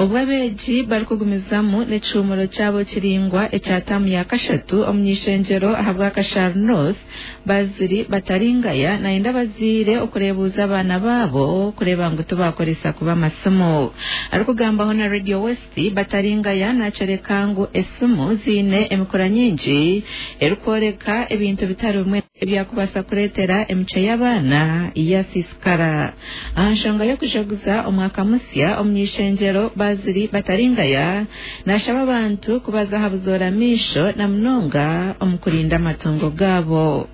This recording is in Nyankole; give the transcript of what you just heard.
Obwo abeegi barikugumizamu n'ekihuumuro kyabo kiraingwa ekya taamu ya kashatu omuny'ishengyero ahabwa Kashari North, Bazili Bataringaya nayenda abazaire okureebuuza abaana baabo kureeba ngu tibaakoresa kubi amasimu. Arikugambaho na Radio West, Bataringaya nakyoreka ngu esimu ziine emikura nyingi erikworeka ebintu bitari bimwe ebyakubaasa kureetera emicwe y'abaana yasiisikara. Aha nshonga y'okujaguza omwaka musya, omuny'ishengyero Bazili Bataringaya nashaba abantu kubaza aha buzoora maisho na munonga omu kurinda amatungo gaabo.